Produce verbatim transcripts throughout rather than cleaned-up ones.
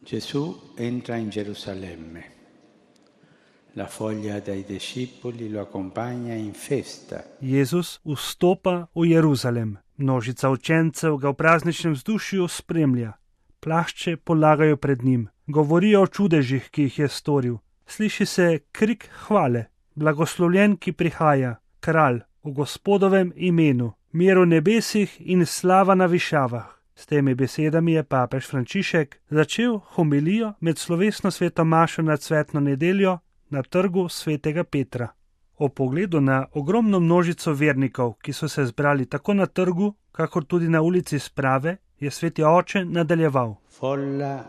Gesù entra in Gerusalemme. La foglia dei discepoli lo accompagna in festa. Jezus vstopa v Jeruzalem. Množica učencev ga v prazničnem vzdušju spremlja. Plašče polagajo pred njim. Govorijo o čudežih, ki jih je storil. Sliši se krik hvale. Blagoslovljen, ki prihaja, kralj v Gospodovem imenu, mir v nebesih in slava na višavah. S temi besedami je papež Frančišek začel homilijo med slovesno sveto mašo na cvetno nedeljo na trgu svetega Petra. O pogledu na ogromno množico vernikov, ki so se zbrali tako na trgu, kakor tudi na ulici Sprave, je sveti oče nadaljeval. Folla,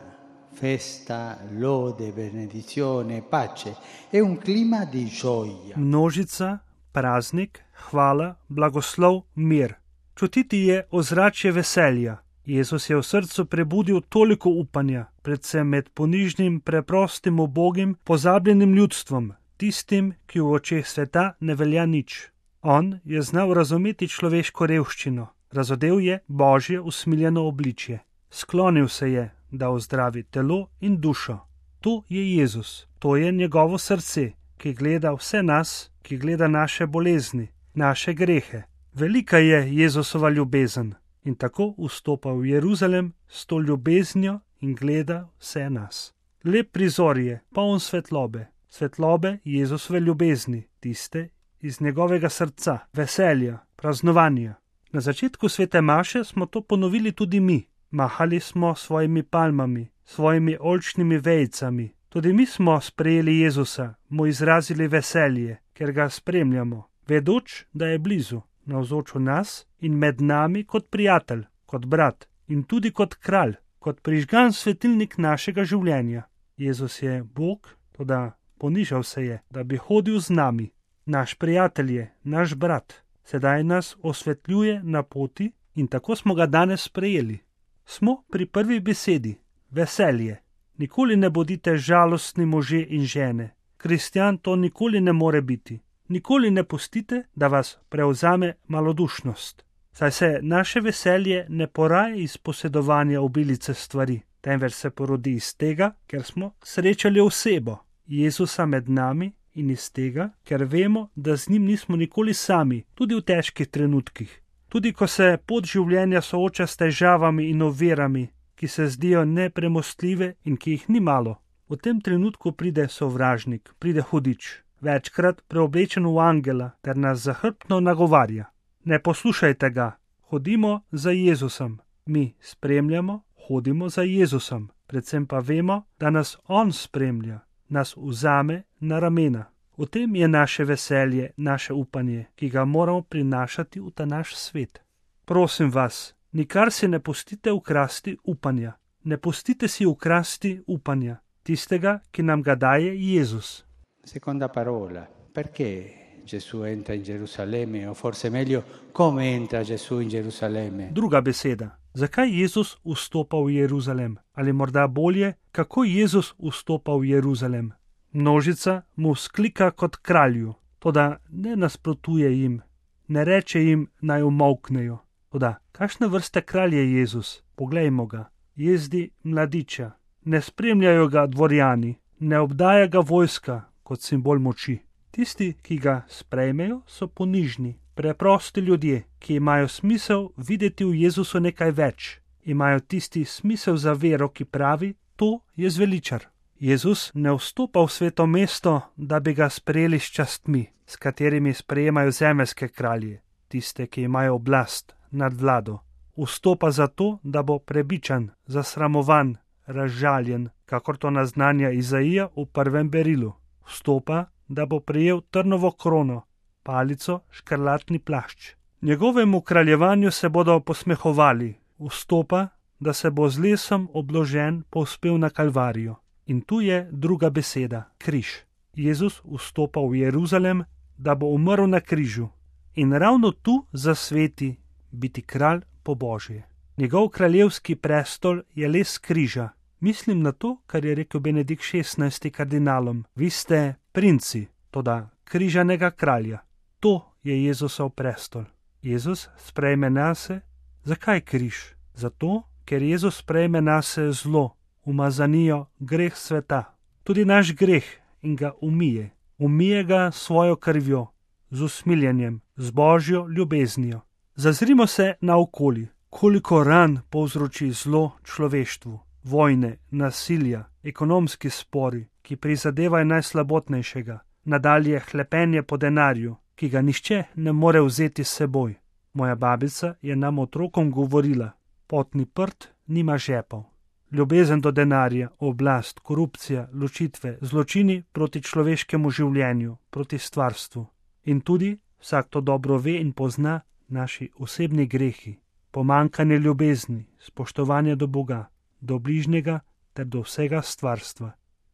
festa, lode, benedizione, pace e un clima di gioia. Množica, praznik, hvala, blagoslov, mir. Čutiti je ozračje veselja. Jezus je v srcu prebudil toliko upanja, predvsem med ponižnim, preprostim, ubogim, pozabljenim ljudstvom, tistim, ki v očeh sveta ne velja nič. On je znal razumeti človeško revščino, razodel je Božje usmiljeno obličje. Sklonil se je, da ozdravi telo in dušo. To je Jezus, to je njegovo srce, ki gleda vse nas, ki gleda naše bolezni, naše grehe. Velika je Jezusova ljubezen. In tako vstopa v Jeruzalem s to ljubeznijo in gleda vse nas. Lep prizor je, poln svetlobe, svetlobe Jezusove ljubezni, tiste iz njegovega srca, veselja, praznovanja. Na začetku svete maše smo to ponovili tudi mi. Mahali smo svojimi palmami, svojimi oljčnimi vejicami. Tudi mi smo sprejeli Jezusa, mu izrazili veselje, ker ga spremljamo, vedoč, da je blizu. Navzoč v nas in med nami kot prijatelj, kot brat in tudi kot kralj, kot prižgan svetilnik našega življenja. Jezus je Bog, toda ponižal se je, da bi hodil z nami. Naš prijatelj je, naš brat, sedaj nas osvetljuje na poti in tako smo ga danes sprejeli. Smo pri prvi besedi, veselje. Nikoli ne bodite žalostni možje in žene. Kristjan to nikoli ne more biti. Nikoli ne pustite, da vas prevzame malodušnost. Saj se naše veselje ne poraja iz posedovanja obilice stvari, temveč se porodi iz tega, ker smo srečali osebo, Jezusa med nami, in iz tega, ker vemo, da z njim nismo nikoli sami, tudi v težkih trenutkih. Tudi ko se pot življenja sooča s težavami in ovirami, ki se zdijo nepremostljive in ki jih ni malo. V tem trenutku pride sovražnik, pride hudič. Večkrat preoblečen v angela, ter nas zahrbtno nagovarja. Ne poslušajte ga, hodimo za Jezusom. Mi spremljamo, hodimo za Jezusom, predvsem pa vemo, da nas on spremlja, nas vzame na ramena. V tem je naše veselje, naše upanje, ki ga moramo prinašati v ta naš svet. Prosim vas, nikar si ne pustite ukrasti upanja. Ne pustite si ukrasti upanja, tistega, ki nam ga daje Jezus. Seconda parola, perché Gesù entra in Gerusalemme, o forse meglio, come entra Gesù in Gerusalemme? Druga beseda, zakaj Jezus vstopa v Jeruzalem? Ali morda bolje, kako Jezus vstopa v Jeruzalem? Množica mu vzklika kot kralju, toda ne nasprotuje jim, ne reče jim naj umolknejo. Toda, kakšne vrste kralj je Jezus? Poglejmo ga, jezdi mladiča, ne spremljajo ga dvorjani, ne obdaja ga vojska kot simbol moči. Tisti, ki ga sprejmejo, so ponižni, preprosti ljudje, ki imajo smisel videti v Jezusu nekaj več. Imajo tisti smisel za vero, ki pravi, to je zveličar. Jezus ne vstopa v sveto mesto, da bi ga sprejeli s častmi, s katerimi sprejemajo zemeljske kralje, tiste, ki imajo oblast nad vlado. Vstopa zato, da bo prebičan, zasramovan, razžaljen, kakor to naznanja Izaija v prvem berilu. Vstopa, da bo prejel trnovo krono, palico, škrlatni plašč. Njegovemu kraljevanju se bodo posmehovali. Vstopa, da se bo z lesom obložen povzpel na Kalvarijo. In tu je druga beseda, križ. Jezus vstopa v Jeruzalem, da bo umrl na križu. In ravno tu zasveti biti kralj po Božje. Njegov kraljevski prestol je les križa. Mislim na to, kar je rekel Benedikt šestnajsti kardinalom. Vi ste princi, toda križanega kralja. To je Jezusov prestol. Jezus sprejme nase. Zakaj križ? Zato, ker Jezus sprejme nase zlo, umazanijo greh sveta, tudi naš greh in ga umije. Umije ga svojo krvjo, z usmiljenjem, z božjo ljubeznijo. Zazrimo se naokoli, koliko ran povzroči zlo človeštvu, vojne, nasilja, ekonomski spori, ki prizadevajo najslabotnejšega, nadalje hlepenje po denarju, ki ga nihče ne more vzeti s seboj. Moja babica je nam otrokom govorila, potni prt nima žepov. Ljubezen do denarja, oblast, korupcija, ločitve, zločini proti človeškemu življenju, proti stvarstvu. In tudi, vsak to dobro ve in pozna, naši osebni grehi, pomanjkanje ljubezni, spoštovanje do Boga, do bližnjega ter do vsega stvarstva.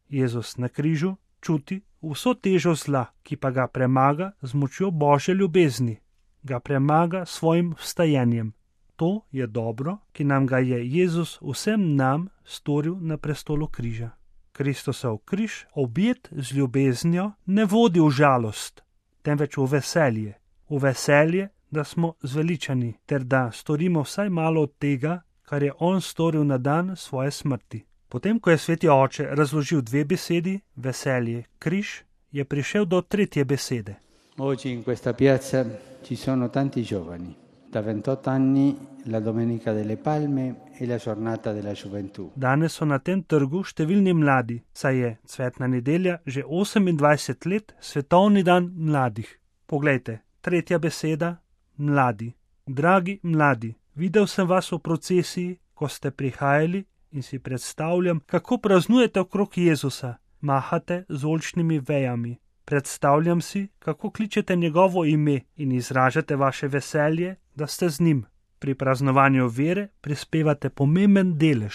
Jezus na križu čuti vso težo zla, ki pa ga premaga z močjo Božje ljubezni, ga premaga svojim vstajenjem. To je dobro, ki nam ga je Jezus vsem nam storil na prestolu križa. Kristusov križ, objet z ljubeznijo, ne vodi v žalost, temveč v veselje. V veselje, da smo zveličani, ter da storimo vsaj malo od tega, kar je on storil na dan svoje smrti. Potem, ko je sveti oče razložil dve besedi, veselje, križ, je prišel do tretje besede. Oggi in questa piazza ci sono tanti giovani. Da ventotto anni la Domenica delle Palme e la giornata della gioventù. Danes so na tem trgu številni mladi, saj je cvetna nedelja že osemindvajset let svetovni dan mladih. Poglejte, tretja beseda, mladi. Dragi mladi, videl sem vas v procesiji, ko ste prihajali in si predstavljam, kako praznujete okrog Jezusa, mahate z oljčnimi vejami. Predstavljam si, kako kličete njegovo ime in izražate vaše veselje, da ste z njim. Pri praznovanju vere prispevate pomemben delež.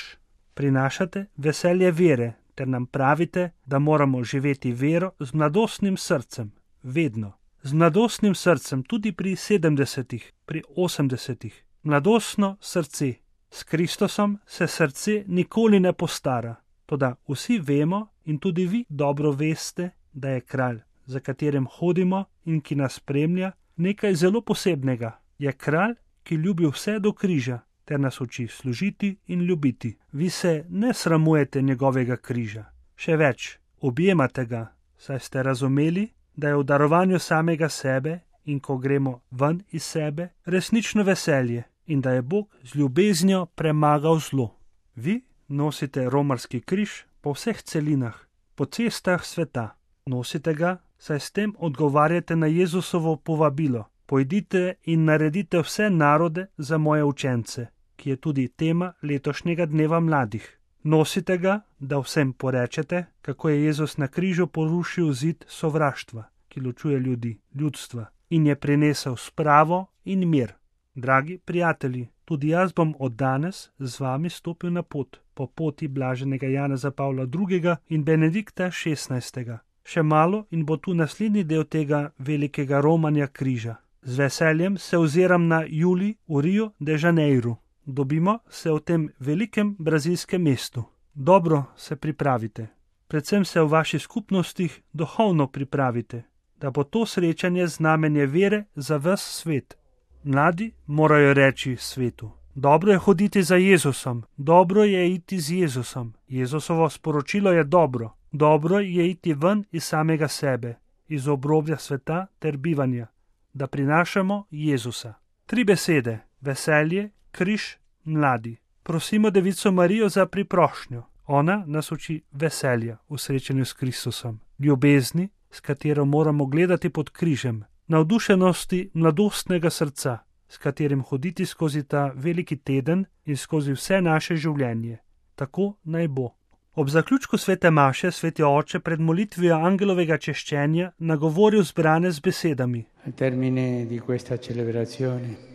Prinašate veselje vere, ter nam pravite, da moramo živeti vero z mladostnim srcem. Vedno. Z mladostnim srcem tudi pri sedemdesetih, pri osemdesetih. Mladostno srce. S Kristusom se srce nikoli ne postara. Toda vsi vemo in tudi vi dobro veste, da je kralj, za katerim hodimo in ki nas spremlja, nekaj zelo posebnega. Je kralj, ki ljubi vse do križa, ter nas uči služiti in ljubiti. Vi se ne sramujete njegovega križa. Še več, objemate ga, saj ste razumeli, da je v darovanju samega sebe in ko gremo ven iz sebe, resnično veselje in da je Bog z ljubeznijo premagal zlo. Vi nosite romarski križ po vseh celinah, po cestah sveta. Nosite ga, saj s tem odgovarjate na Jezusovo povabilo. Pojdite in naredite vse narode za moje učence, ki je tudi tema letošnjega dneva mladih. Nosite ga, da vsem porečete, kako je Jezus na križu porušil zid sovraštva, ki ločuje ljudi, ljudstva, in je prinesel spravo in mir. Dragi prijatelji, tudi jaz bom od danes z vami stopil na pot, po poti blaženega Janeza Pavla drugega in Benedikta šestnajstega. Še malo in bo tu naslednji del tega velikega romanja križa. Z veseljem se oziram na julij v Rio de Janeiro. Dobimo se v tem velikem brazilskem mestu. Dobro se pripravite. Predvsem se v vaših skupnostih duhovno pripravite, da bo to srečanje znamenje vere za ves svet. Mladi morajo reči svetu. Dobro je hoditi za Jezusom, dobro je iti z Jezusom. Jezusovo sporočilo je dobro. Dobro je iti ven iz samega sebe, iz obrobja sveta ter bivanja, da prinašamo Jezusa. Tri besede, veselje, križ, mladi. Prosimo Devico Marijo za priprošnjo. Ona nas uči veselja v srečanju s Kristusom, ljubezni, s katero moramo gledati pod križem, navdušenosti mladostnega srca, s katerim hoditi skozi ta veliki teden in skozi vse naše življenje. Tako naj bo. Ob zaključku svete maše sveti oče pred molitvijo angelovega češčenja nagovoril zbrane z besedami.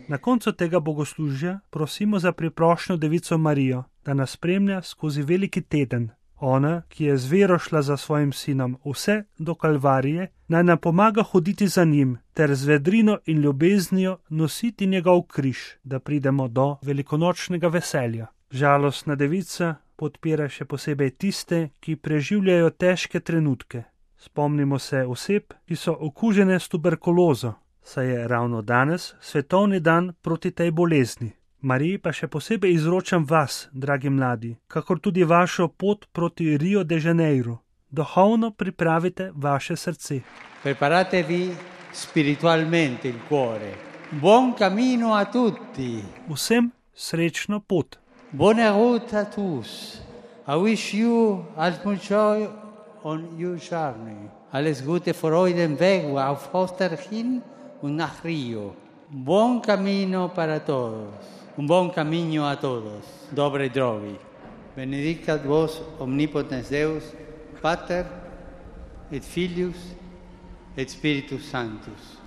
Na koncu tega bogoslužja prosimo za priprošnjo Devico Marijo, da nas spremlja skozi veliki teden. Ona, ki je z vero šla za svojim sinom vse do Kalvarije, naj nam pomaga hoditi za njim ter z vedrino in ljubeznijo nositi njegov križ, da pridemo do velikonočnega veselja. Žalostna devica podpira še posebej tiste, ki preživljajo težke trenutke. Spomnimo se oseb, ki so okužene s tuberkulozo, saj je ravno danes svetovni dan proti tej bolezni. Mariji pa še posebej izročam vas, dragi mladi, kakor tudi vašo pot proti Rio de Janeiro. Duhovno pripravite vaše srce. Preparatevi spiritualmente il cuore. Buon cammino a tutti. Vsem srečno pot. Buona route a tous. I wish you as much joy on your journey. Alles Gute für euren Weg auf Osterhin und nach Rio. Buon cammino para todos. Un buon cammino a todos. Dobre drogi. Benedicat vos omnipotens Deus, Pater et Filius et Spiritus Sanctus.